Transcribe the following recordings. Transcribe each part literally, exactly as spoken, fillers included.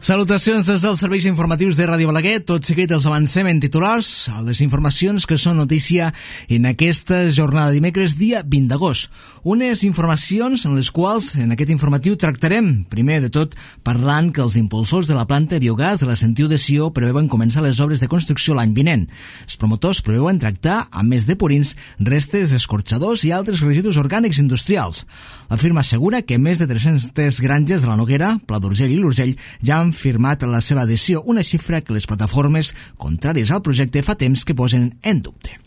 Salutacions des dels serveis informatius de Ràdio Balaguer. Tot seguit els avancem en titulars a les informacions que són notícia en aquesta jornada de dimecres, dia vint d'agost. Unes informacions en les quals en aquest informatiu tractarem, primer de tot, parlant que els impulsors de la planta de biogàs de la Sentiu de Sió preveuen començar les obres de construcció l'any vinent. Els promotors preveuen tractar, a més de purins, restes d'escorxadors i altres residus orgànics industrials. La firma assegura que més de tres-centes granges de la Noguera, Pla d'Urgell i l'Urgell ja han firmat la seva adhesió, una xifra que les plataformes contràries al projecte fa temps que posen en dubte.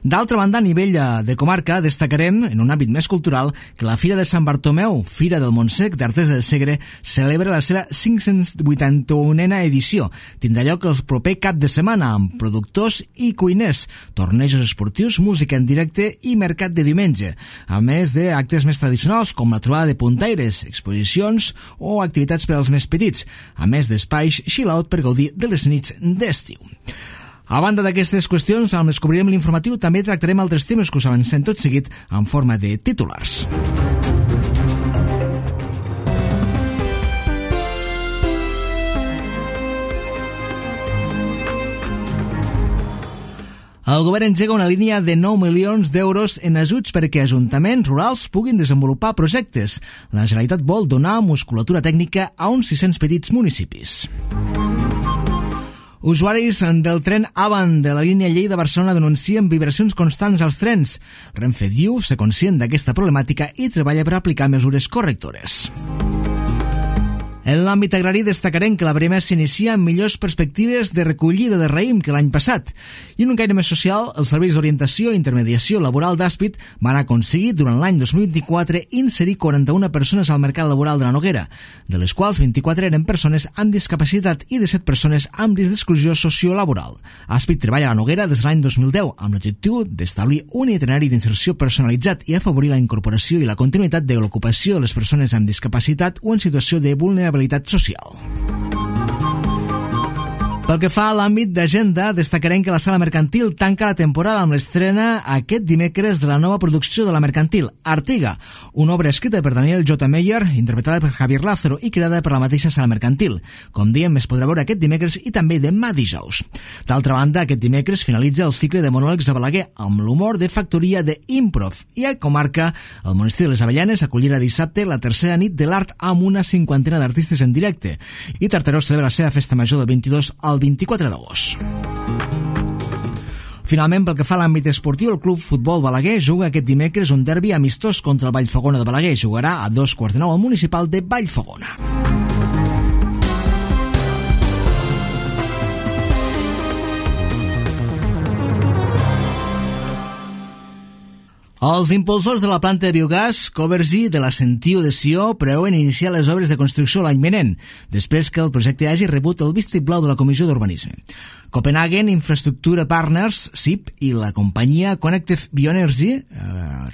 D'altra banda, a nivell de comarca, destacarem, en un àmbit més cultural, que la Fira de Sant Bartomeu, Fira del Montsec d'Artés del Segre, celebra la seva cinc-cents vuitanta-unena edició. Tindrà lloc el proper cap de setmana amb productors i cuiners, tornejos esportius, música en directe i mercat de diumenge, a més d'actes més tradicionals com la trobada de puntaires, exposicions o activitats per als més petits, a més d'espais chill-out per gaudir de les nits d'estiu. A banda d'aquestes qüestions, amb les cobrirem l'informatiu, també tractarem altres temes que us avancem tot seguit en forma de titulars. El govern engega una línia de nou milions d'euros en ajuts perquè ajuntaments rurals puguin desenvolupar projectes. La Generalitat vol donar musculatura tècnica a uns sis-cents petits municipis. Usuaris del tren Avant de la línia Lleida-Barcelona denuncien vibracions constants als trens. Renfe diu ser conscient d'aquesta problemàtica i treballa per aplicar mesures correctores. En l'àmbit agrari destacarem que la Brema s'inicia amb millors perspectives de recollida de raïm que l'any passat. I en un caire més social, els serveis d'orientació i intermediació laboral d'Àspid van aconseguir durant l'any dos mil vint-i-quatre inserir quaranta-una persones al mercat laboral de la Noguera, de les quals vint-i-quatre eren persones amb discapacitat i disset persones amb risc d'exclusió sociolaboral. Àspid treballa a la Noguera des de l'any dos mil deu amb l'objectiu d'establir un itinerari d'inserció personalitzat i afavorir la incorporació i la continuïtat de l'ocupació de les persones amb discapacitat o en situació de vulnerabilitat social. Pel que fa a l'àmbit d'agenda, destacarem que la Sala Mercantil tanca la temporada amb l'estrena aquest dimecres de la nova producció de la Mercantil, Artiga, una obra escrita per Daniel J. Meyer, interpretada per Javier Lázaro i creada per la mateixa Sala Mercantil. Com diem, es podrà veure aquest dimecres i també demà dijous. D'altra banda, aquest dimecres finalitza el cicle de monòlegs a Balaguer amb l'humor de factoria de Improv i a comarca, el Monestir de les Avellanes acollirà dissabte la tercera nit de l'art amb una cinquantena d'artistes en directe i Tartaró celebra la seva festa major del vint-i-dos al vint-i-quatre d'agost. Finalment, pel que fa a l'àmbit esportiu, el Club Futbol Balaguer juga aquest dimecres un derbi amistós contra el Vallfogona de Balaguer. Jugarà a dos quarts de nou al municipal de Vallfogona. Els impulsors de la planta de biogàs Covergy de la Sentiu de Sió preveuen iniciar les obres de construcció l'any vinent, després que el projecte hagi rebut el vistiplau de la Comissió d'Urbanisme. Copenhagen Infrastructure Partners, C I P, i la companyia Connected Bioenergy eh,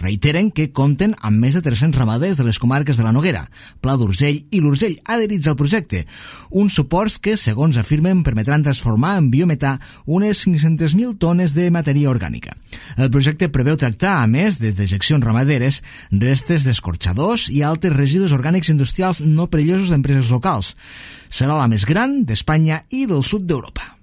reiteren que compten amb més de tres-cents ramaders de les comarques de la Noguera, Pla d'Urgell i l'Urgell adherits al projecte, uns suports que, segons afirmen, permetran transformar en biometà unes cinc-centes mil tones de matèria orgànica. El projecte preveu tractar, a més de dejeccions ramaderes, restes d'escorxadors i altres residus orgànics industrials no perillosos d'empreses locals. Serà la més gran d'Espanya i del sud d'Europa.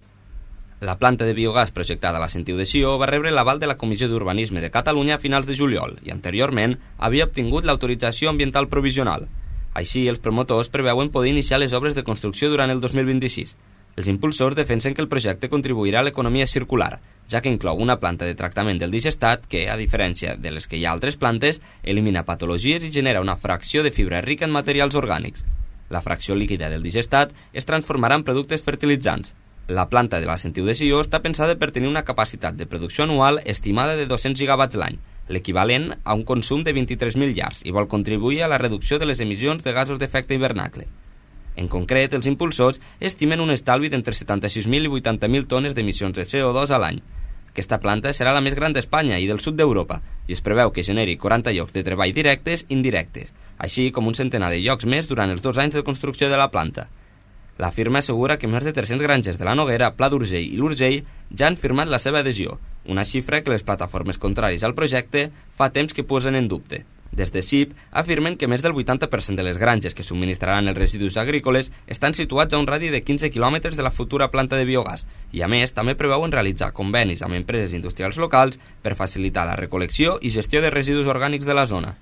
La planta de biogàs projectada a la Sentiu de Sió va rebre l'aval de la Comissió d'Urbanisme de Catalunya a finals de juliol i anteriorment havia obtingut l'autorització ambiental provisional. Així, els promotors preveuen poder iniciar les obres de construcció durant el dos mil vint-i-sis. Els impulsors defensen que el projecte contribuirà a l'economia circular, ja que inclou una planta de tractament del digestat que, a diferència de les que hi ha altres plantes, elimina patologies i genera una fracció de fibra rica en materials orgànics. La fracció líquida del digestat es transformarà en productes fertilitzants. La planta de la Sentiu de Sió està pensada per tenir una capacitat de producció anual estimada de dos-cents gigawatts l'any, l'equivalent a un consum de vint-i-tres mil llars, i vol contribuir a la reducció de les emissions de gasos d'efecte hivernacle. En concret, els impulsors estimen un estalvi d'entre setanta-sis mil i vuitanta mil tones d'emissions de C O dos a l'any. Aquesta planta serà la més gran d'Espanya i del sud d'Europa i es preveu que generi quaranta llocs de treball directes i indirectes, així com un centenar de llocs més durant els dos anys de construcció de la planta. La firma assegura que més de tres-cents granges de la Noguera, Pla d'Urgell i l'Urgell ja han firmat la seva adhesió, una xifra que les plataformes contràries al projecte fa temps que posen en dubte. Des de C I P afirmen que més del vuitanta per cent de les granges que subministraran els residus agrícoles estan situats a un radi de quinze quilòmetres de la futura planta de biogàs i, a més, també preveuen realitzar convenis amb empreses industrials locals per facilitar la recol·lecció i gestió de residus orgànics de la zona.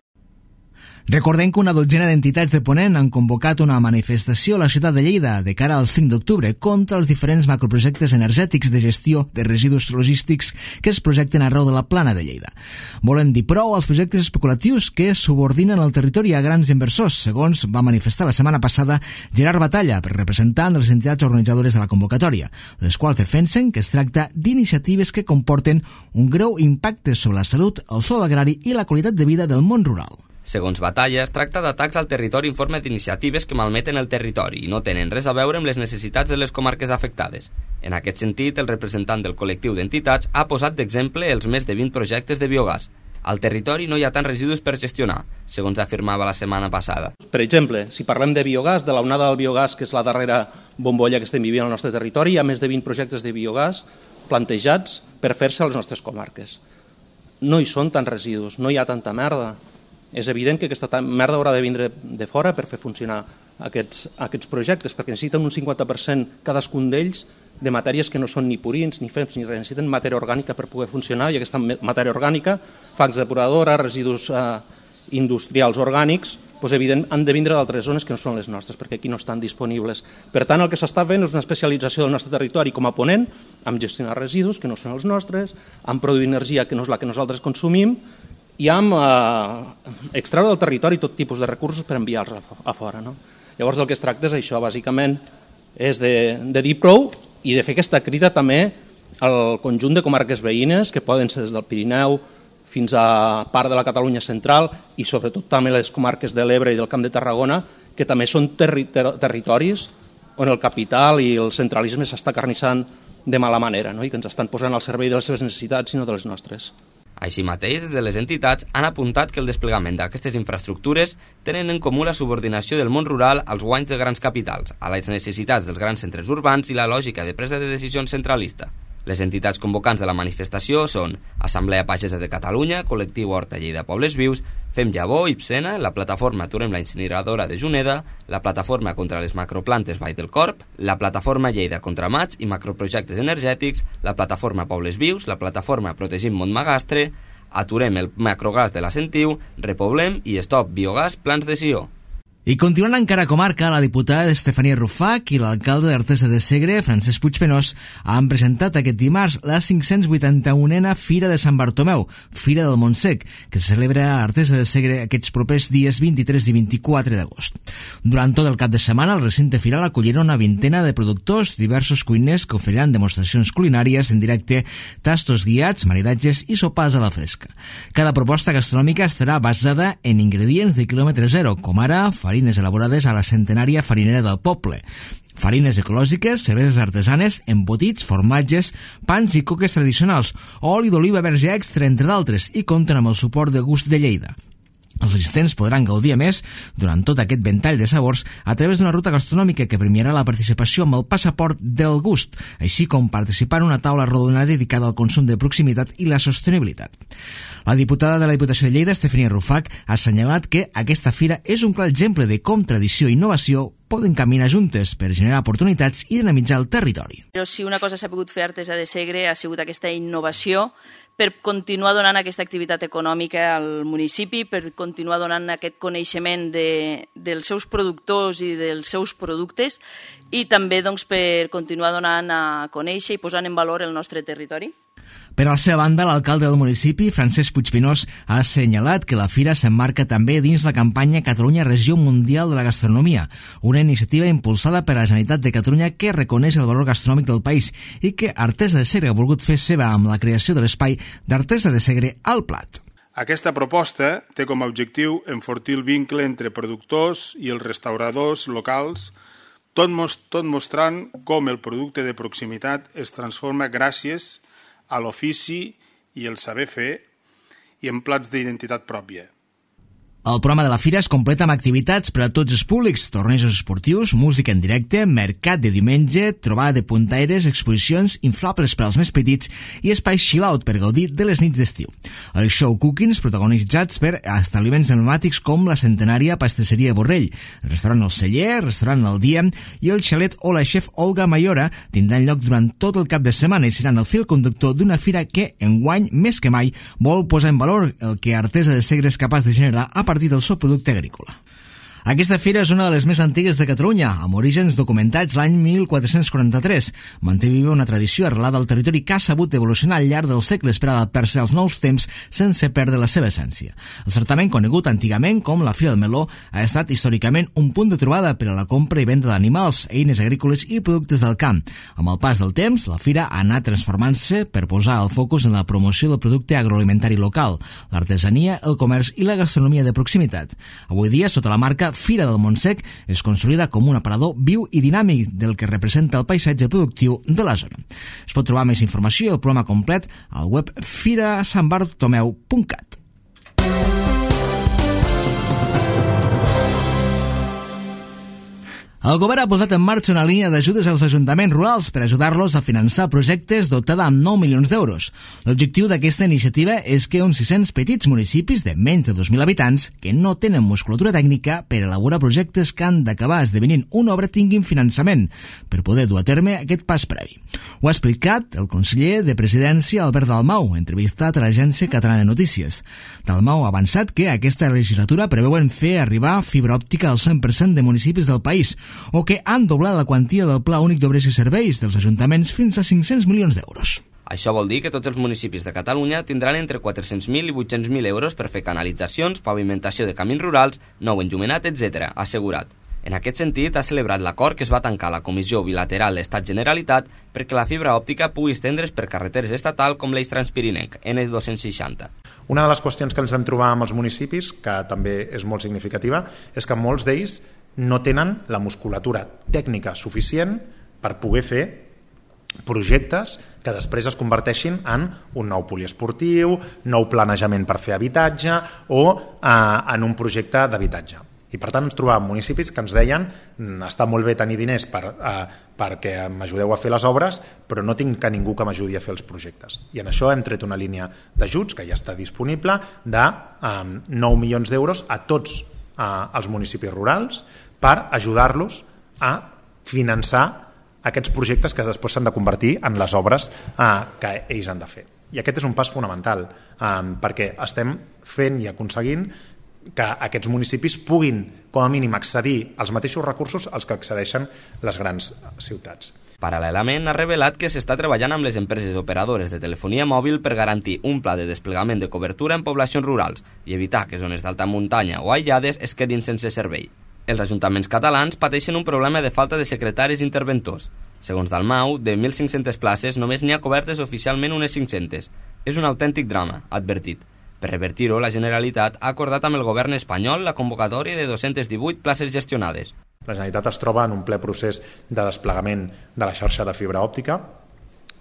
Recordem que una dotzena d'entitats de Ponent han convocat una manifestació a la ciutat de Lleida de cara al cinc d'octubre contra els diferents macroprojectes energètics de gestió de residus logístics que es projecten arreu de la plana de Lleida. Volen dir prou als projectes especulatius que subordinen el territori a grans inversors, segons va manifestar la setmana passada Gerard Batalla, representant de les entitats organitzadores de la convocatòria, les quals defensen que es tracta d'iniciatives que comporten un greu impacte sobre la salut, el sòl agrari i la qualitat de vida del món rural. Segons Batalla, es tracta d'atacs al territori en forma d'iniciatives que malmeten el territori i no tenen res a veure amb les necessitats de les comarques afectades. En aquest sentit, el representant del col·lectiu d'entitats ha posat d'exemple els més de vint projectes de biogàs. Al territori no hi ha tants residus per gestionar, segons afirmava la setmana passada. Per exemple, si parlem de biogàs, de l'onada del biogàs, que és la darrera bombolla que estem vivint al nostre territori, hi ha més de vint projectes de biogàs plantejats per fer-se a les nostres comarques. No hi són tants residus, no hi ha tanta merda. És evident que aquesta merda haurà de vindre de fora per fer funcionar aquests, aquests projectes, perquè necessiten un cinquanta per cent cadascun d'ells de matèries que no són ni purins, ni fems, ni res. Necessiten matèria orgànica per poder funcionar, i aquesta matèria orgànica, fangs depuradora, residus eh, industrials orgànics, doncs evident, han de vindre d'altres zones que no són les nostres, perquè aquí no estan disponibles. Per tant, el que s'està fent és una especialització del nostre territori com a Ponent, amb gestionar residus que no són els nostres, amb produir energia que no és la que nosaltres consumim, i amb eh, extreure del territori tot tipus de recursos per enviar-los a, a fora. No? Llavors del que es tracta és això, bàsicament, és de, de dir prou i de fer aquesta crida també al conjunt de comarques veïnes, que poden ser des del Pirineu fins a part de la Catalunya central i sobretot també les comarques de l'Ebre i del Camp de Tarragona, que també són terri ter territoris on el capital i el centralisme s'està carnissant de mala manera, no? I que ens estan posant al servei de les seves necessitats i no de les nostres. Així mateix, des de les entitats han apuntat que el desplegament d'aquestes infraestructures tenen en comú la subordinació del món rural als guanys de grans capitals, a les necessitats dels grans centres urbans i la lògica de presa de decisions centralista. Les entitats convocants de la manifestació són Assemblea Pagesa de Catalunya, Col·lectiu Horta Lleida Pobles Vius, Fem Llavor, Ipsena, la Plataforma Aturem la Incineradora de Juneda, la Plataforma contra les Macroplantes Vall del Corp, la Plataforma Lleida contra Mats i Macroprojectes Energètics, la Plataforma Pobles Vius, la Plataforma Protegim Montmagastre, Aturem el Macrogàs de la Sentiu, Repoblem i Stop Biogàs Plans de Sió. I continuant encara a comarca, la diputada Estefania Rufach i l'alcalde d'Artesa de Segre, Francesc Puigpenós, han presentat aquest dimarts la cinc-cents vuitanta-unena Fira de Sant Bartomeu, Fira del Montsec, que se celebra a Artesa de Segre aquests propers dies vint-i-tres i vint-i-quatre d'agost. Durant tot el cap de setmana, el recinte firal acollirà una vintena de productors, diversos cuiners que oferiran demostracions culinàries en directe, tastos guiats, maridatges i sopars a la fresca. Cada proposta gastronòmica estarà basada en ingredients de quilòmetre zero, com ara farines elaborades a la centenària farinera del poble, farines ecològiques, cerveses artesanes, embotits, formatges, pans i coques tradicionals, oli d'oliva verge extra, entre d'altres, i compten amb el suport de Gust de Lleida. Els assistents podran gaudir, a més, durant tot aquest ventall de sabors, a través d'una ruta gastronòmica que premiarà la participació amb el passaport del gust, així com participar en una taula rodona dedicada al consum de proximitat i la sostenibilitat. La diputada de la Diputació de Lleida, Estefania Rufach, ha assenyalat que aquesta fira és un clar exemple de com tradició i innovació poden caminar juntes per generar oportunitats i dinamitzar el territori. Però si una cosa s'ha pogut fer a Artesa de Segre ha sigut aquesta innovació per continuar donant aquesta activitat econòmica al municipi, per continuar donant aquest coneixement de, dels seus productors i dels seus productes i també doncs, per continuar donant a conèixer i posant en valor el nostre territori. Per a la seva banda, l'alcalde del municipi, Francesc Puigpenós, ha assenyalat que la fira s'emmarca també dins la campanya Catalunya Regió Mundial de la Gastronomia, una iniciativa impulsada per la Generalitat de Catalunya que reconeix el valor gastronòmic del país i que Artesa de Segre ha volgut fer seva amb la creació de l'espai d'Artesa de Segre al Plat. Aquesta proposta té com a objectiu enfortir el vincle entre productors i els restauradors locals, tot, most- tot mostrant com el producte de proximitat es transforma gràcies a l'ofici i el saber fer i en plats d'identitat pròpia. El programa de la fira es completa amb activitats per a tots els públics, tornejos esportius, música en directe, mercat de diumenge, trobada de puntaires, exposicions, inflables per als més petits i espais chill-out per gaudir de les nits d'estiu. El show cookings protagonitzats per establiments emblemàtics com la centenària pastisseria Borrell, el restaurant El Celler, el restaurant El Dia i el xalet o la chef Olga Mayora tindran lloc durant tot el cap de setmana i seran el fil conductor d'una fira que, enguany, més que mai, vol posar en valor el que Artesa de Segre és capaç de generar a partir del seu producte agrícola. Aquesta fira és una de les més antigues de Catalunya, amb orígens documentats l'any mil quatre-cents quaranta-tres. Manté viva una tradició arrelada al territori que ha sabut evolucionar al llarg dels segles per adaptar-se als nous temps sense perdre la seva essència. El certament, conegut antigament com la Fira del Meló, ha estat històricament un punt de trobada per a la compra i venda d'animals, eines agrícoles i productes del camp. Amb el pas del temps, la fira ha anat transformant-se per posar el focus en la promoció del producte agroalimentari local, l'artesania, el comerç i la gastronomia de proximitat. Avui dia, sota la marca Fira del Montsec, es consolida com un aparador viu i dinàmic del que representa el paisatge productiu de la zona. Es pot trobar més informació i el programa complet al web fira sant bartomeu punt cat. El govern ha posat en marxa una línia d'ajudes als ajuntaments rurals per ajudar-los a finançar projectes dotada amb nou milions d'euros. L'objectiu d'aquesta iniciativa és que uns sis-cents petits municipis de menys de dos mil habitants que no tenen musculatura tècnica per elaborar projectes que han d'acabar esdevenint una obra tinguin finançament per poder dur a terme aquest pas previ. Ho ha explicat el conseller de Presidència Albert Dalmau, entrevistat a l'Agència Catalana de Notícies. Dalmau ha avançat que aquesta legislatura preveuen fer arribar fibra òptica al cent per cent de municipis del país, o que han doblat la quantia del Pla Únic d'Obres i Serveis dels ajuntaments fins a cinc-cents milions d'euros. Això vol dir que tots els municipis de Catalunya tindran entre quatre-cents mil i vuit-cents mil euros per fer canalitzacions, pavimentació de camins rurals, nou enllumenat, etcètera, ha assegurat. En aquest sentit, ha celebrat l'acord que es va tancar a la Comissió Bilateral Estat-Generalitat perquè la fibra òptica pugui estendre's per carreteres estatal com l'eix Transpirinenc, ena dos-cents seixanta. Una de les qüestions que ens vam trobar amb els municipis, que també és molt significativa, és que molts d'ells no tenen la musculatura tècnica suficient per poder fer projectes que després es converteixin en un nou poliesportiu, nou planejament per fer habitatge o eh, en un projecte d'habitatge. I per tant ens trobàvem municipis que ens deien està molt bé tenir diners per, eh, perquè m'ajudeu a fer les obres, però no tinc que ningú que m'ajudi a fer els projectes. I en això hem tret una línia d'ajuts que ja està disponible de eh, nou milions d'euros a tots eh, els municipis rurals per ajudar-los a finançar aquests projectes que després s'han de convertir en les obres eh, que ells han de fer. I aquest és un pas fonamental, eh, perquè estem fent i aconseguint que aquests municipis puguin, com a mínim, accedir als mateixos recursos als que accedeixen les grans ciutats. Paral·lelament, ha revelat que s'està treballant amb les empreses operadores de telefonia mòbil per garantir un pla de desplegament de cobertura en poblacions rurals i evitar que zones d'alta muntanya o aïllades es quedin sense servei. Els ajuntaments catalans pateixen un problema de falta de secretaris interventors. Segons Dalmau, de mil cinc-centes places només n'hi ha cobertes oficialment unes cinc-centes. És un autèntic drama, ha advertit. Per revertir-ho, la Generalitat ha acordat amb el govern espanyol la convocatòria de dos-cents divuit places gestionades. La Generalitat es troba en un ple procés de desplegament de la xarxa de fibra òptica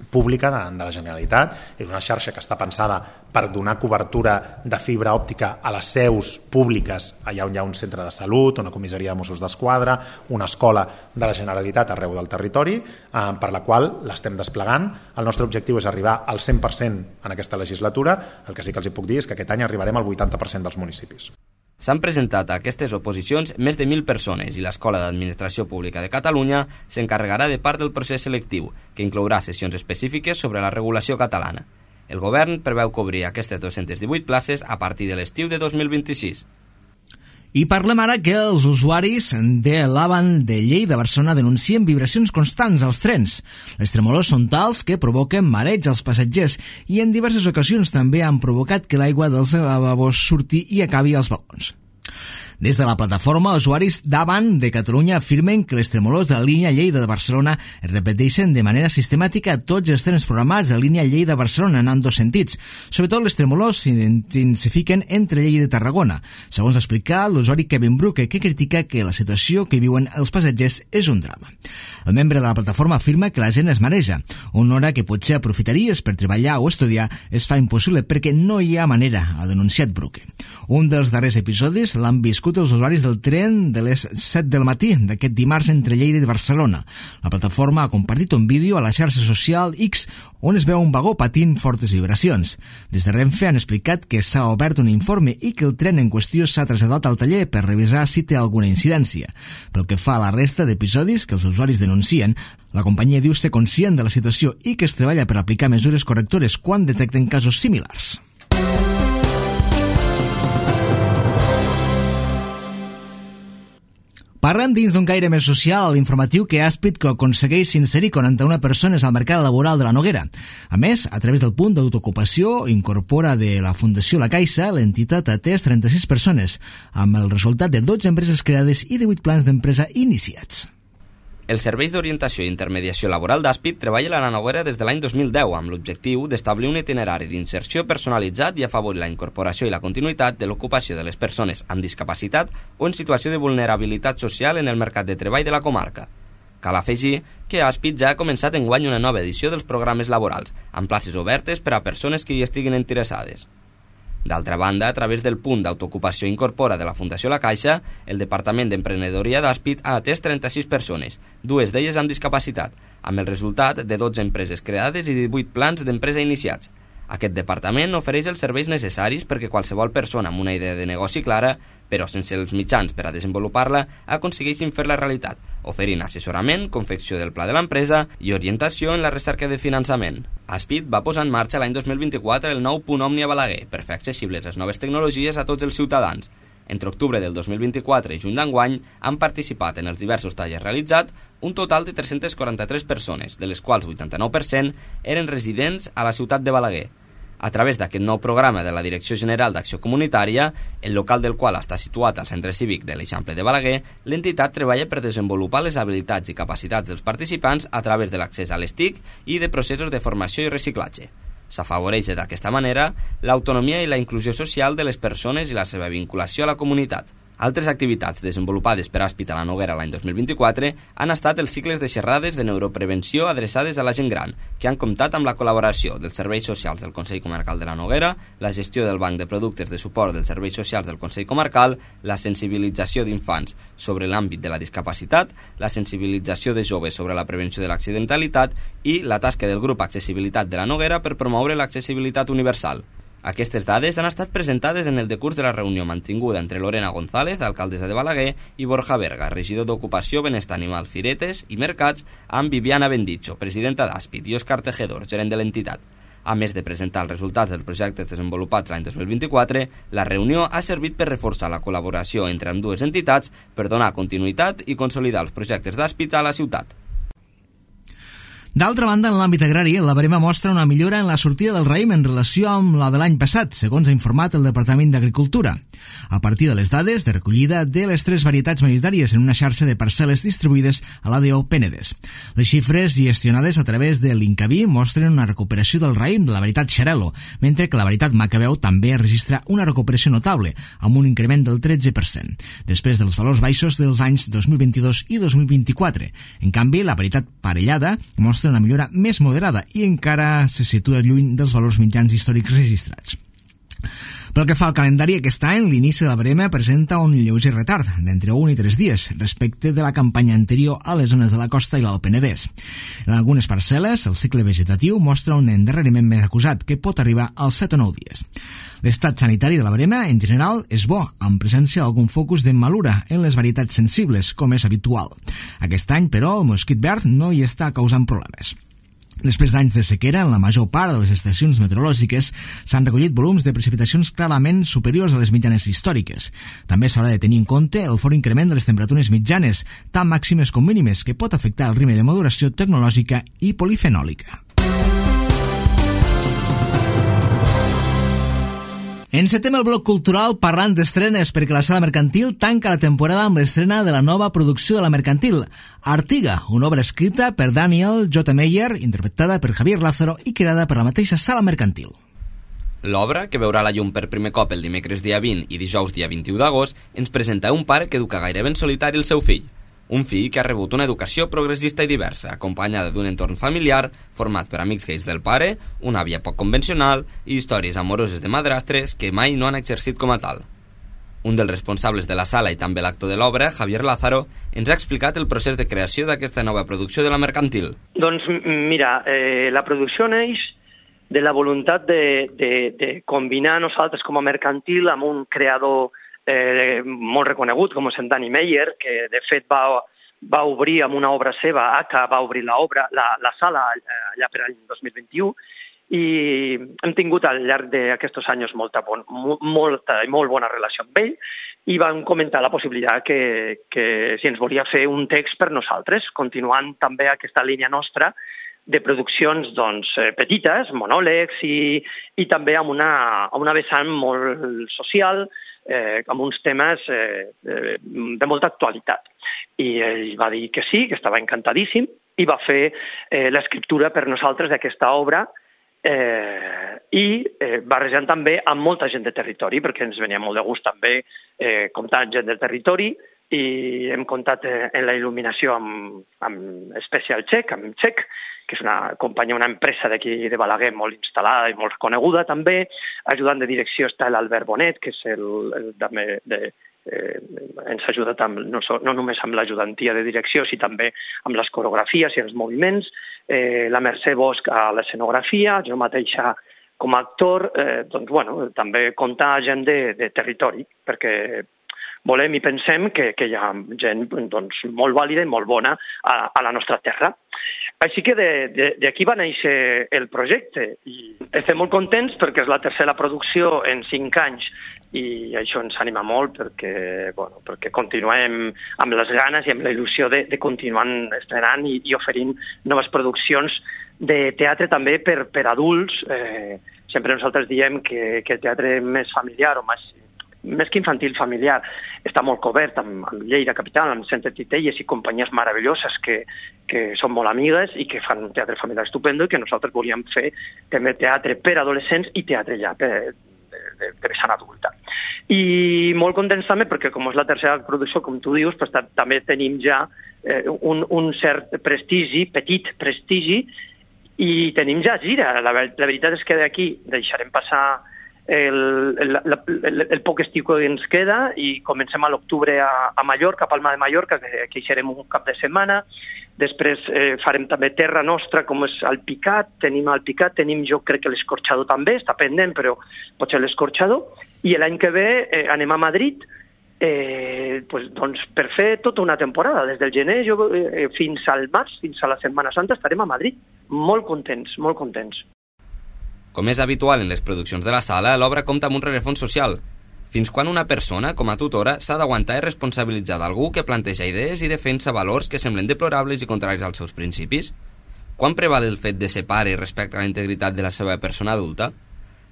pública de, de la Generalitat. És una xarxa que està pensada per donar cobertura de fibra òptica a les seus públiques, allà on hi ha un centre de salut, una comissaria de Mossos d'Esquadra, una escola de la Generalitat arreu del territori, eh, per la qual l'estem desplegant. El nostre objectiu és arribar al cent per cent en aquesta legislatura. El que sí que els hi puc dir és que aquest any arribarem al vuitanta per cent dels municipis. S'han presentat a aquestes oposicions més de mil persones i l'Escola d'Administració Pública de Catalunya s'encarregarà de part del procés selectiu, que inclourà sessions específiques sobre la regulació catalana. El govern preveu cobrir aquestes dos-centes divuit places a partir de l'estiu de dos mil vint-i-sis. I parlem ara que els usuaris de l'Avant de Lleida Barcelona denuncien vibracions constants als trens. Les tremolors són tals que provoquen mareig als passatgers i en diverses ocasions també han provocat que l'aigua dels lavabos surti i acabi als vagons. Des de la plataforma, usuaris d'Avant de Catalunya afirmen que les tremolors de la línia Lleida de Barcelona es repeteixen de manera sistemàtica a tots els trens programats de la línia Lleida-Barcelona en dos sentits. Sobretot les tremolors s'intensifiquen entre Lleida i Tarragona. Segons ha explicat l'usuari Kevin Bruque, que critica que la situació que viuen els passatgers és un drama. El membre de la plataforma afirma que la gent es mareja. Una hora que potser aprofitaries per treballar o estudiar es fa impossible perquè no hi ha manera, ha denunciat Bruque. Un dels darrers episodis l'han viscut els usuaris del tren de les set del matí d'aquest dimarts entre Lleida i Barcelona. La plataforma ha compartit un vídeo a la xarxa social X on es veu un vagó patint fortes vibracions. Des de Renfe han explicat que s'ha obert un informe i que el tren en qüestió s'ha traslladat al taller per revisar si té alguna incidència. Pel que fa a la resta d'episodis que els usuaris denuncien, la companyia diu ser conscient de la situació i que es treballa per aplicar mesures correctores quan detecten casos similars. Parlem dins d'un caire més social a l'informatiu que Aspit que aconsegueix inserir quaranta-una persones al mercat laboral de la Noguera. A més, a través del punt d'autoocupació incorpora de la Fundació La Caixa, l'entitat ha atès trenta-sis persones, amb el resultat de dotze empreses creades i divuit plans d'empresa iniciats. Els serveis d'orientació i intermediació laboral d'Aspit treballen a la Noguera des de l'any dos mil deu amb l'objectiu d'establir un itinerari d'inserció personalitzat i afavorir la incorporació i la continuïtat de l'ocupació de les persones amb discapacitat o en situació de vulnerabilitat social en el mercat de treball de la comarca. Cal afegir que Aspit ja ha començat enguany una nova edició dels programes laborals, amb places obertes per a persones que hi estiguin interessades. D'altra banda, a través del punt d'autoocupació incorpora de la Fundació La Caixa, el Departament d'Emprenedoria d'Aspit ha atès trenta-sis persones, dues d'elles amb discapacitat, amb el resultat de dotze empreses creades i divuit plans d'empresa iniciats. Aquest departament ofereix els serveis necessaris perquè qualsevol persona amb una idea de negoci clara, però sense els mitjans per a desenvolupar-la, aconsegueixin fer-la realitat, oferint assessorament, confecció del pla de l'empresa i orientació en la recerca de finançament. Aspit va posar en marxa l'any dos mil vint-i-quatre el nou punt Omni a Balaguer per fer accessibles les noves tecnologies a tots els ciutadans. Entre octubre del dos mil vint-i-quatre i juny d'enguany han participat en els diversos tallers realitzats un total de tres-centes quaranta-tres persones, de les quals vuitanta-nou per cent eren residents a la ciutat de Balaguer. A través d'aquest nou programa de la Direcció General d'Acció Comunitària, el local del qual està situat al Centre Cívic de l'Eixample de Balaguer, l'entitat treballa per desenvolupar les habilitats i capacitats dels participants a través de l'accés a les T I C i de processos de formació i reciclatge. S'afavoreix d'aquesta manera l'autonomia i la inclusió social de les persones i la seva vinculació a la comunitat. Altres activitats desenvolupades per Aspit a la Noguera l'any dos mil vint-i-quatre han estat els cicles de xerrades de neuroprevenció adreçades a la gent gran, que han comptat amb la col·laboració dels serveis socials del Consell Comarcal de la Noguera, la gestió del Banc de Productes de Suport dels Serveis Socials del Consell Comarcal, la sensibilització d'infants sobre l'àmbit de la discapacitat, la sensibilització de joves sobre la prevenció de l'accidentalitat i la tasca del grup Accessibilitat de la Noguera per promoure l'accessibilitat universal. Aquestes dades han estat presentades en el decurs de la reunió mantinguda entre Lorena González, alcaldessa de Balaguer, i Borja Berga, regidor d'Ocupació, Benestar Animal, Firetes i Mercats, amb Viviana Bendicho, presidenta d'Aspit, i Òscar Tejedor, gerent de l'entitat. A més de presentar els resultats dels projectes desenvolupats l'any dos mil vint-i-quatre, la reunió ha servit per reforçar la col·laboració entre ambdues entitats per donar continuïtat i consolidar els projectes d'Aspit a la ciutat. D'altra banda, en l'àmbit agrari, la barema mostra una millora en la sortida del raïm en relació amb la de l'any passat, segons ha informat el Departament d'Agricultura. A partir de les dades de recollida de les tres varietats majoritàries en una xarxa de parcel·les distribuïdes a l'A D O Penedès. Les xifres gestionades a través de l'Incavi mostren una recuperació del raïm de la varietat Xarel·lo, mentre que la varietat Macabeu també registra una recuperació notable, amb un increment del tretze per cent, després dels valors baixos dels anys dos mil vint-i-dos i dos mil vint-i-quatre. En canvi, la varietat Parellada mostra una millora més moderada i encara se situa lluny dels valors mitjans històrics registrats. Pel que fa al calendari, aquest any l'inici de la barema presenta un lleuger retard, d'entre un i tres dies, respecte de la campanya anterior a les zones de la costa i l'Alt Penedès. En algunes parcel·les, el cicle vegetatiu mostra un endarreriment més acusat, que pot arribar als set o nou dies. L'estat sanitari de la barema, en general, és bo, amb presència d'algun focus de malura en les varietats sensibles, com és habitual. Aquest any, però, el mosquit verd no hi està causant problemes. Després d'anys de sequera, en la major part de les estacions meteorològiques s'han recollit volums de precipitacions clarament superiors a les mitjanes històriques. També s'haurà de tenir en compte el fort increment de les temperatures mitjanes, tant màximes com mínimes, que pot afectar el ritme de maduració tecnològica i polifenòlica. Encetem el bloc cultural parlant d'estrenes perquè la Sala Mercantil tanca la temporada amb l'estrena de la nova producció de la Mercantil, Artiga, una obra escrita per Daniel J. Meyer, interpretada per Javier Lázaro i creada per la mateixa Sala Mercantil. L'obra, que veurà la llum per primer cop el dimecres dia vint i dijous dia vint-i-u d'agost, ens presenta un pare que educa gairebé en solitari el seu fill. Un fill que ha rebut una educació progressista i diversa, acompanyada d'un entorn familiar format per amics gais del pare, una àvia poc convencional i històries amoroses de madrastres que mai no han exercit com a tal. Un dels responsables de la sala i també l'actor de l'obra, Javier Lázaro, ens ha explicat el procés de creació d'aquesta nova producció de la Mercantil. Doncs mira, eh, la producció neix de la voluntat de, de, de combinar nosaltres com a Mercantil amb un creador Eh, molt reconegut com és en Dani Meyer, que de fet va, va obrir amb una obra seva, Aka va obrir la, obra, la, la sala allà per l'any dos mil vint-i-u, i hem tingut al llarg d'aquests anys molta, bon, molta i molt bona relació amb ell, i vam comentar la possibilitat que, que si ens volia fer un text per nosaltres, continuant també aquesta línia nostra de produccions doncs, petites, monòlegs, i, i també amb una, amb una vessant molt social, Eh, amb uns temes eh, de molta actualitat. I ell va dir que sí, que estava encantadíssim, i va fer eh, l'escriptura per nosaltres d'aquesta obra eh, i eh, barrejant també amb molta gent de territori, perquè ens venia molt de gust també eh, comptar gent del territori, i hem comptat eh, en la il·luminació amb, amb Special Check, amb Check, que és una companyia, una empresa d'aquí de Balaguer molt instal·lada i molt coneguda també. Ajudant de direcció està l'Albert Bonet, que és el, el també de, eh, ens ha ajudat amb, no, no només amb l'ajudantia de direcció, sinó també amb les coreografies i els moviments, eh, la Mercè Bosch a l'escenografia, jo mateixa com a actor, eh, doncs, bueno, també comptar gent de, de territori, perquè volem i pensem que, que hi ha gent doncs, molt vàlida i molt bona a, a la nostra terra. Així que d'aquí va néixer el projecte i estem molt contents perquè és la tercera producció en cinc anys i això ens anima molt perquè, bueno, perquè continuem amb les ganes i amb la il·lusió de, de continuar estrenant i, i oferint noves produccions de teatre també per, per adults. Eh, sempre nosaltres diem que, que el teatre més familiar o més més que infantil, familiar, està molt cobert amb, amb Lleida Capital, amb Centre Titelles i companyies meravelloses que, que són molt amigues i que fan un teatre familiar estupendo i que nosaltres volíem fer també teatre per adolescents i teatre ja per, de, de, de vessant adulta. I molt contents també perquè com és la tercera producció, com tu dius, pues, també tenim ja eh, un, un cert prestigi, petit prestigi, i tenim ja gira. La, la veritat és que d'aquí deixarem passar El, el, el, el poc estiu que ens queda i comencem a l'octubre a, a Mallorca, a Palma de Mallorca, que, que hi serem un cap de setmana. Després eh, farem també terra nostra, com és el Picat, tenim el Picat, tenim jo crec que l'Escorxador també, està pendent, però pot ser l'Escorxador. I l'any que ve eh, anem a Madrid eh, pues, doncs, per fer tota una temporada. Des del gener jo, eh, fins al març, fins a la Setmana Santa, estarem a Madrid. Molt contents, molt contents. Com és habitual en les produccions de la sala, l'obra compta amb un rerefons social. Fins quan una persona, com a tutora, s'ha d'aguantar i responsabilitzar d'algú que planteja idees i defensa valors que semblen deplorables i contraris als seus principis? Quan preval el fet de ser pare respecte a la integritat de la seva persona adulta?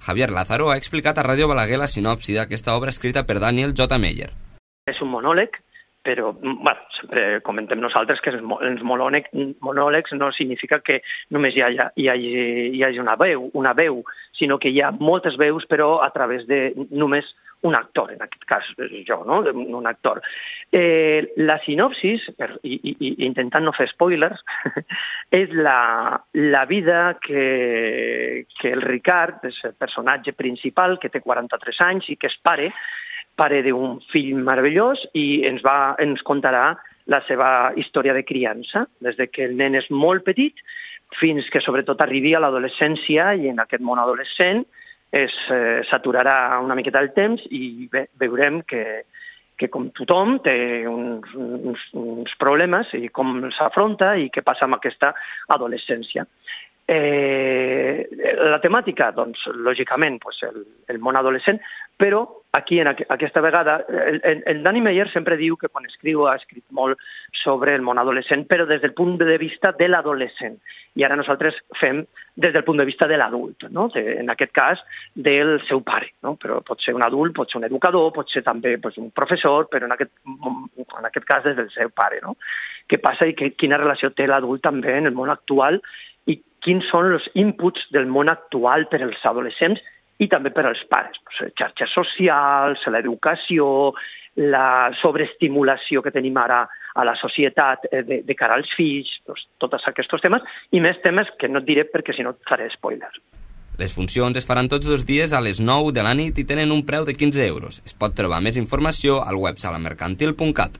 Javier Lázaro ha explicat a Ràdio Balaguer la sinopsi d'aquesta obra escrita per Daniel J. Meyer. És un monòleg, però bueno, sempre comentem nosaltres que els monòlegs, monòlegs no significa que només hi hagi, hi hagi, hi hagi una veu, una veu, sinó que hi ha moltes veus, però a través de només un actor, en aquest cas jo, no? Un actor. Eh, la sinopsis, per, i, i, intentant no fer spoilers, és la, la vida que, que el Ricard, és el personatge principal, que té quaranta-tres anys i que és pare, pare d'un fill meravellós i ens, va, ens contarà la seva història de criança, des de que el nen és molt petit fins que sobretot arribi a l'adolescència i en aquest món adolescent es, eh, s'aturarà una miqueta el temps i bé, veurem que, que com tothom té uns, uns, uns problemes i com s'afronta i què passa amb aquesta adolescència. Eh, la temàtica, doncs, lògicament, pues, el, el món adolescent, però aquí, en aqu aquesta vegada, el, el Danny Meyer sempre diu que quan escriu ha escrit molt sobre el món adolescent, però des del punt de vista de l'adolescent. I ara nosaltres fem des del punt de vista de l'adult, no? De, en aquest cas, del seu pare, no? Però pot ser un adult, pot ser un educador, pot ser també pues, un professor, però en aquest, en aquest cas des del seu pare, no? Què passa i que, quina relació té l'adult també en el món actual i quins són els inputs del món actual per als adolescents i també per als pares. Pues, xarxes socials, l'educació, la sobreestimulació que tenim ara a la societat de, de cara als fills, pues, tots aquests temes, i més temes que no et diré perquè si no et faré spoilers. Les funcions es faran tots dos dies a les nou de la nit i tenen un preu de quinze euros. Es pot trobar més informació al web salamercantil punt cat.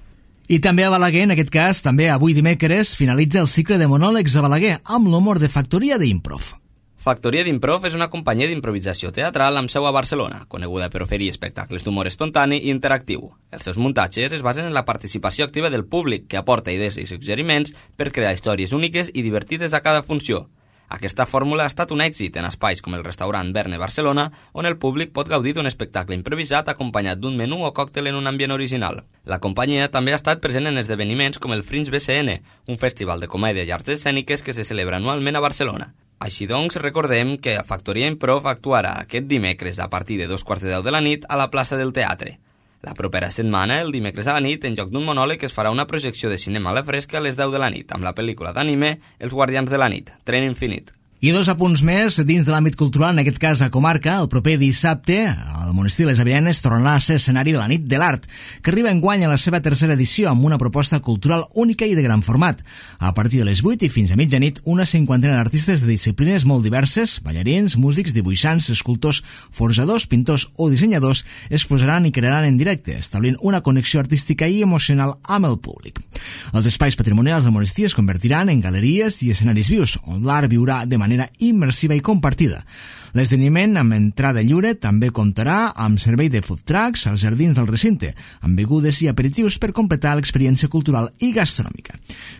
I també a Balaguer, en aquest cas, també avui dimecres, finalitza el cicle de monòlegs a Balaguer amb l'humor de Factoria d'Improv. Factoria d'Improv és una companyia d'improvisació teatral amb seu a Barcelona, coneguda per oferir espectacles d'humor espontani i interactiu. Els seus muntatges es basen en la participació activa del públic, que aporta idees i suggeriments per crear històries úniques i divertides a cada funció. Aquesta fórmula ha estat un èxit en espais com el restaurant Verne Barcelona, on el públic pot gaudir d'un espectacle improvisat acompanyat d'un menú o còctel en un ambient original. La companyia també ha estat present en esdeveniments com el Fringe B C N, un festival de comèdia i arts escèniques que se celebra anualment a Barcelona. Així doncs, recordem que Factoria Improv actuarà aquest dimecres a partir de dos quarts de deu de la nit a la plaça del Teatre. La propera setmana, el dimecres a la nit, en lloc d'un monòleg, es farà una projecció de cinema a la fresca a les deu de la nit, amb la pel·lícula d'anime Els Guardians de la Nit, Tren Infinit. I dos apunts més dins de l'àmbit cultural, en aquest cas a Comarca. El proper dissabte, el Monestir Les Avellanes tornarà a ser escenari de la Nit de l'Art, que arriba enguany a la seva tercera edició amb una proposta cultural única i de gran format. A partir de les vuit i fins a mitjanit, una cinquantena d'artistes de disciplines molt diverses, ballarins, músics, dibuixants, escultors, forjadors, pintors o dissenyadors, es posaran i crearan en directe, establint una connexió artística i emocional amb el públic. Els espais patrimonials del Monestir es convertiran en galeries i escenaris vius, on l'art viurà de manera immersiva i compartida. L'esdeveniment amb entrada lliure també comptarà amb servei de food trucks als jardins del recinte, amb begudes i aperitius per completar l'experiència cultural i gastronòmica.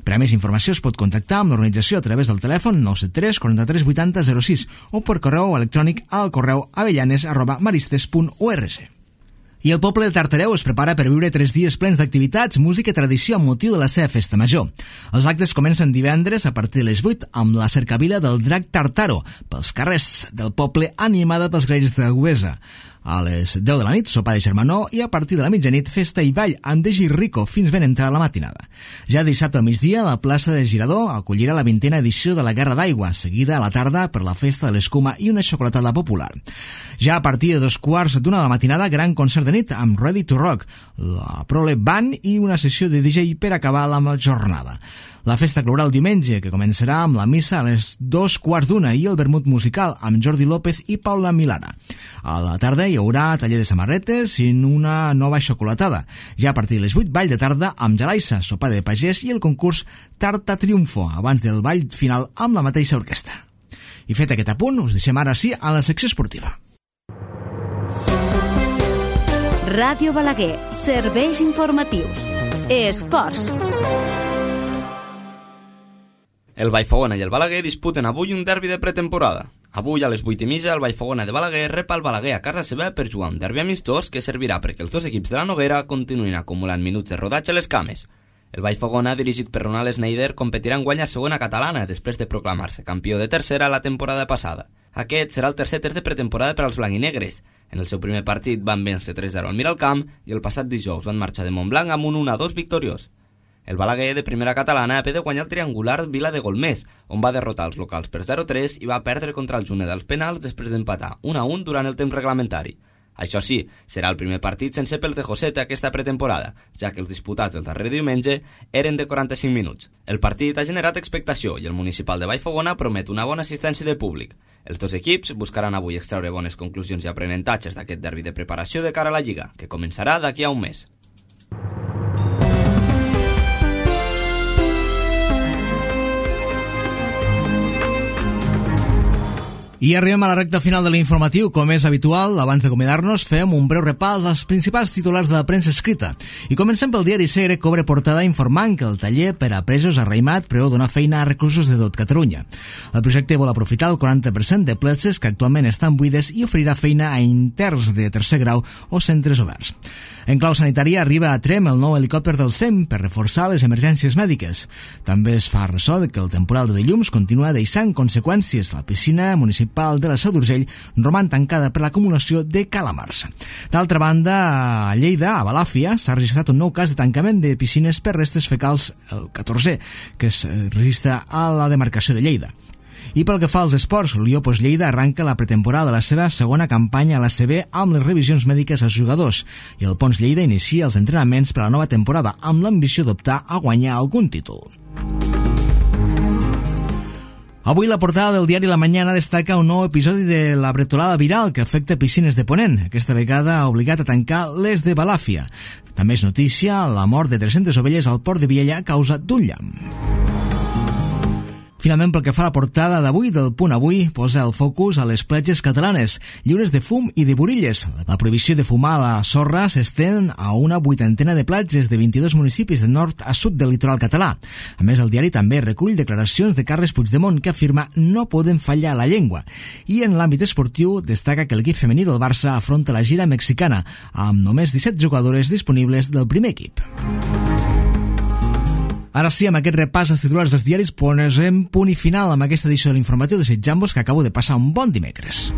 Per a més informació es pot contactar amb l'organització a través del telèfon nou set tres quaranta-tres vuitanta zero sis o per correu electrònic al correu avellanes arroba maristes punt org. I el poble de Tartareu es prepara per viure tres dies plens d'activitats, música i tradició amb motiu de la seva festa major. Els actes comencen divendres a partir de les vuit amb la cercavila del drac Tartaro pels carrers del poble animada pels grells de Güesa. A les deu de la nit, sopar de germanor i a partir de la mitjanit, festa i ball amb Degi Rico fins ben entrada la matinada. Ja dissabte al migdia, la plaça de Girador acollirà la vintena edició de la Guerra d'Aigua, seguida a la tarda per la festa de l'escuma i una xocolatada popular. Ja a partir de dos quarts d'una de la matinada, gran concert de nit amb Ready to Rock, la Prole Band i una sessió de D J per acabar la jornada. La festa clourà el diumenge, que començarà amb la missa a les dos quarts d'una i el vermut musical amb Jordi López i Paula Milara. A la tarda hi haurà taller de samarretes i una nova xocolatada. Ja a partir de les vuit, ball de tarda amb Jalaissa, sopar de pagès i el concurs Tarta Triunfo, abans del ball final amb la mateixa orquestra. I fet aquest apunt, us deixem ara sí a la secció esportiva. Ràdio Balaguer, serveis informatius. Esports. El Vallfogona i el Balaguer disputen avui un derbi de pretemporada. Avui a les vuit i mitja el Vallfogona de Balaguer rep el Balaguer a casa seva per jugar un derbi amistós que servirà perquè els dos equips de la Noguera continuïn acumulant minuts de rodatge a les cames. El Vallfogona, dirigit per Ronald Schneider, competirà enguany a segona catalana després de proclamar-se campió de tercera la temporada passada. Aquest serà el tercer test de pretemporada per als blanc-i-negres. En el seu primer partit van vèncer tres zero al Miralcamp i el passat dijous van marxar de Montblanc amb un un a dos victoriós. El Balaguer, de primera catalana, ha de guanyar el triangular Vila de Golmés, on va derrotar els locals per zero a tres i va perdre contra el Juneda als penals després d'empatar un a un durant el temps reglamentari. Això sí, serà el primer partit sense pel de Josete aquesta pretemporada, ja que els disputats el darrer diumenge eren de quaranta-cinc minuts. El partit ha generat expectació i el municipal de Vallfogona promet una bona assistència de públic. Els dos equips buscaran avui extreure bones conclusions i aprenentatges d'aquest derbi de preparació de cara a la Lliga, que començarà d'aquí a un mes. I arribem a la recta final de l'informatiu. Com és habitual, abans d'acomiadar-nos, fem un breu repàs als principals titulars de la premsa escrita. I comencem pel diari Segre, que obre portada informant que el taller per a presos a Raïmat preveu donar feina a reclusos de tot Catalunya. El projecte vol aprofitar el quaranta per cent de places que actualment estan buides i oferirà feina a interns de tercer grau o centres oberts. En clau sanitària arriba a Trem el nou helicòpter del S E M per reforçar les emergències mèdiques. També es fa ressò de que el temporal de dilluns continua deixant conseqüències. La piscina municipal de la Seu d'Urgell roman tancada per l'acumulació de calamars. D'altra banda, a Lleida, a Balàfia, s'ha registrat un nou cas de tancament de piscines per restes fecals, el catorzè, que es registra a la demarcació de Lleida. I pel que fa als esports, l'U I O Pos Lleida arranca la pretemporada de la seva segona campanya a l'A C B amb les revisions mèdiques als jugadors i el Pons Lleida inicia els entrenaments per a la nova temporada amb l'ambició d'optar a guanyar algun títol. Avui la portada del diari La Mañana destaca un nou episodi de la bretolada viral que afecta piscines de Ponent. Aquesta vegada ha obligat a tancar les de Balàfia. També és notícia la mort de tres-centes ovelles al port de Viella a causa d'un llamp. Finalment, pel que fa a la portada d'avui del Punt Avui, posa el focus a les platges catalanes, lliures de fum i de burilles. La prohibició de fumar a la sorra s'estén a una vuitantena de platges de vint-i-dos municipis de nord a sud del litoral català. A més, el diari també recull declaracions de Carles Puigdemont que afirma no poden fallar la llengua. I en l'àmbit esportiu destaca que l'equip femení del Barça afronta la gira mexicana, amb només disset jugadores disponibles del primer equip. Ara sí, amb aquest repàs als titulars dels diaris, posem punt i final amb aquesta edició de l'informatiu, desitjant-vos que acabo de passar un bon dimecres.